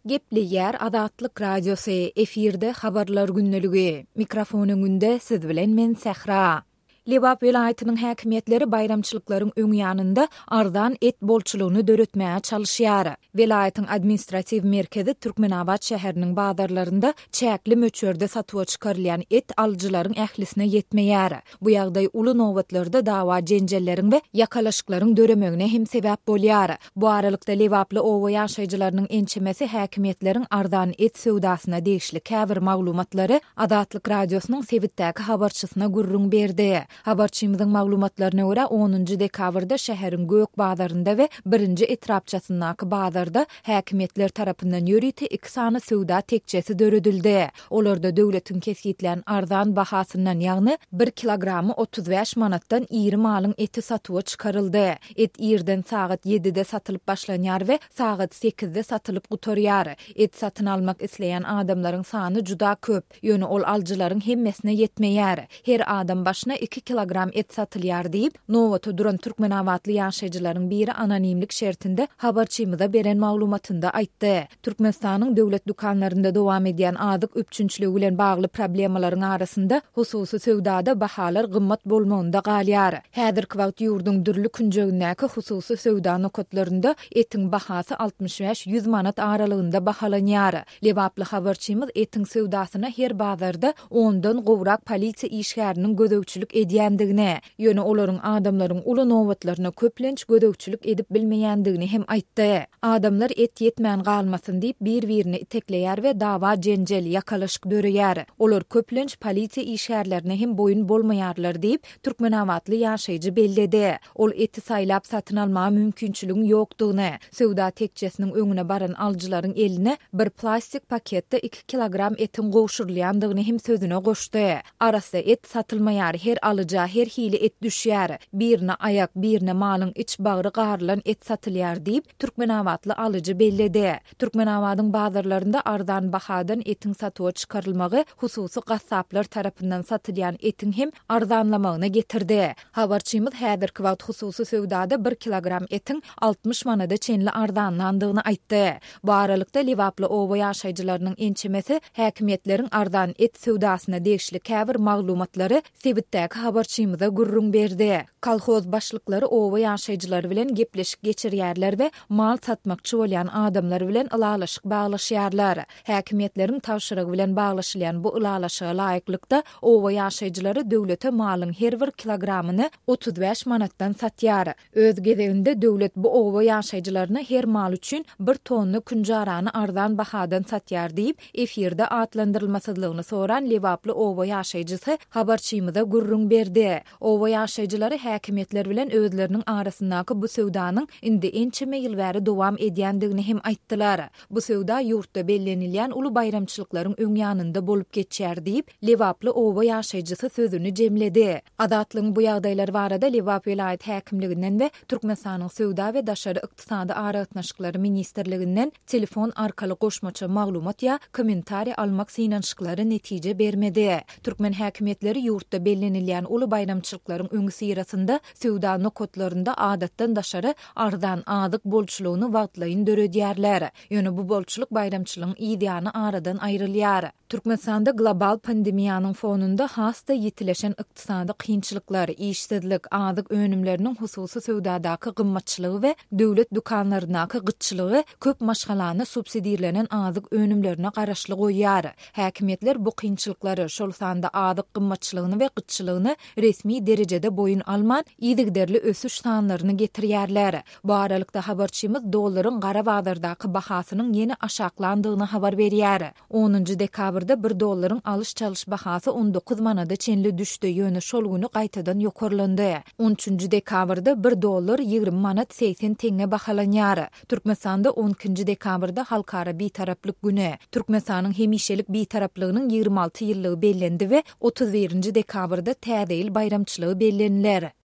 Gepleýär Azatlyk Radiosy, efirde Habarlar gündeligi. Mikrofon öňünde siz bilen men Sähra. Lebap welaýatynyň häkimiýetleri baýramçylyklaryň öň ýanynda arzan et bolçulygyny döretmäge çalyşýar. Welaýatyň administratiw merkezi Türkmenabat şäheriniň bazarlarynda çäkli möçberde satuwa çykarylýan et alyjylaryň ählisine ýetmeýär. Bu ýagdaý uly nobatlarda dawa-jenjelleriň we ýakalaşyklaryň döremegine hem sebäp bolýar. Bu aralykda, lebaply oba ýaşaýjylarynyň ençemesi häkimiýetleriň arzan et söwdasyna degişli käbir maglumatlary Azatlyk Radiosynyň sebitdäki habarçysyna gürrüň berdi. Habarçymyzyň maglumatlaryna görä, onunjy dekabrda şäheriň Gök bazarynda we birinji etrapçasyndaky bazarda häkimiýetler tarapyndan ýörite iki sany söwda tekjesi döredildi. Olarda döwletiň kesgitlän arzan bahasyndan, ýagny bir kilogramy 35 manatdan iri malyň eti satuwa çykaryldy. Et irden sagat ýedide satylyp başlanýar we sagat sekizde satylyp gutarýar. Et satyn almak isleýän adamlaryň sany juda köp, ýöne ol alyjylaryň hemmesine ýetmeýär. Her adam başyna iki kilogram et satylýar diýip, nobata duran türkmenabatly ýaşaýjylaryň biri anonimlik şertinde habarçymyza beren maglumatynda aýtdy. Türkmenistanyň döwlet dükanlarynda dowam edýän azyk üpjünçiligi bilen bagly problemalaryň arasynda, hususy söwdada bahalar gymmat bolmagynda galýar. Häzirki wagt ýurduň dürli künjegindäki hususy söwda nokatlarynda etiň bahasy 65-ýüz manat aralygynda bahalanýar. Lebaply habarçymyz etiň söwdasyna her bazarda ondan gowrak polisiýa işgäriniň gözegçilik edýändigini, Ýöne olaryň adamlaryň uly nobatlaryna köplenç gözegçilik edip bilmeýändigini hem aýtdy. Adamlar et ýetmän galmasyn diýip bir-birini itekleýär we dawa-jenjel, ýakalaşyk döreýär. Olar köplenç polisiýa işgärlerine hem boýun bolmaýarlar diýip, türkmenabatly ýaşaýjy belledi. Ol eti saýlap satyn almaga mümkinçiligiň ýokdugyny, söwda tekjesiniň öňüne baran alyjylaryň eline bir plastik paketde iki kilogram etiň gowşurylýandygyny hem sözüne goşdy. Arassa et satylmaýar, her alyja her hili et düşýär. Birine aýak, birine malyň iç-bagry garylan et satylýar diýip, türkmenabatly alyjy belledi. Türkmenabadyň bazarlarynda arzan bahadan etiň satuwa çykarylmagy hususy gassaplar tarapyndan satylýan etiň hem arzanlamagyna getirdi. Habarçymyz häzirki wagt hususy söwdada bir kilogram etiň 60 manada çenli arzanlandygyny aýtdy. Bu aralykda, lebaply oba ýaşaýjylarynyň ençemesi häkimiýetleriň arzan et söwdasyna degişli käbir maglumatlary sebitdäki habarçymyza gürrüň berdi. Kolhoz başlyklary oba ýaşaýjylary bilen gepleşik geçirýärler we mal satmakçy bolýan adamlar bilen ylalaşyk baglaşýarlar. Häkimiýetleriň tabşyrygy bilen baglaşylýan bu ylalaşyga laýyklykda, oba ýaşaýjylary döwlete malyň her bir kilogramyny 35 manatdan satýar. Öz gezeginde döwlet bu oba ýaşaýjylaryna her mal üçin bir tonna künjarany arzan bahadan satýar diýip, efirde atlandyrylmasyzlygyny soran lebaply oba ýaşaýjysy habarçymyza gürrüň berdi. Oba ýaşaýjylary häkimiýetler bilen özleriniň arasyndaky bu söwdanyň indi ençeme ýyl bäri dowam edýändigini hem aýtdylar. Bu söwda ýurtda bellenilýän uly baýramçylyklaryň öň ýanynda bolup geçýär diýip, lebaply oba ýaşaýjysy sözüni jemledi. Azatlygyň bu ýagdaýlar barada Lebap welaýat häkimliginden we Türkmenistanyň Söwda we daşary ykdysady aragatnaşyklary ministrliginden telefon arkaly goşmaça maglumat ýa kommentariý almak synanyşyklary netije bermedi. Türkmen häkimiýetleri ýurtda bellenilýän uly baýramçylyklaryň öňüsyrasynda söwda nokatlarynda adatdan daşary arzan azyk bolçulygyny wagtlaýyn döredýärler. Ýöne bu bolçulyk baýramçylygyň yzýany aradan aýrylýar. Türkmenistanda global pandemiýanyň fonunda has-da ýitileşen ykdysady kynçylyklar, işsizlik, azyk önümleriniň hususy söwdadaky gymmatçylygy we döwlet dükanlaryndaky gytçylygy köp maşgalany subsidirlenen azyk önümlerine garaşly goýýar. Häkimiýetler bu kynçylyklary, şol sanda azyk gymmatçylygyny we gytçylygyny resmi derejede boýun alman, yzygiderli ösüş sanlaryny getirýärler. Bu aralykda, habarçymyz dollaryň gara bazardaky bahasynyň ýene aşaklandygyny habar berýär. Onunjy dekabrda bir dollaryň alyş-çalyş bahasy 19 manada çenli düşdi, ýöne şol güni gaýtadan ýokarlandy. On üçünji dekabrda bir dollar 20 manat 80 teňňe bahalanýar. Türkmenistanda on ikinji dekabrda Halkara Bitaraplyk güni, Türkmenistanyň hemişelik Bitaraplygynyň 26 ýyllygy bellendi we otuz birinji dekabrda Täze ýyl baýramçylygy belleniler.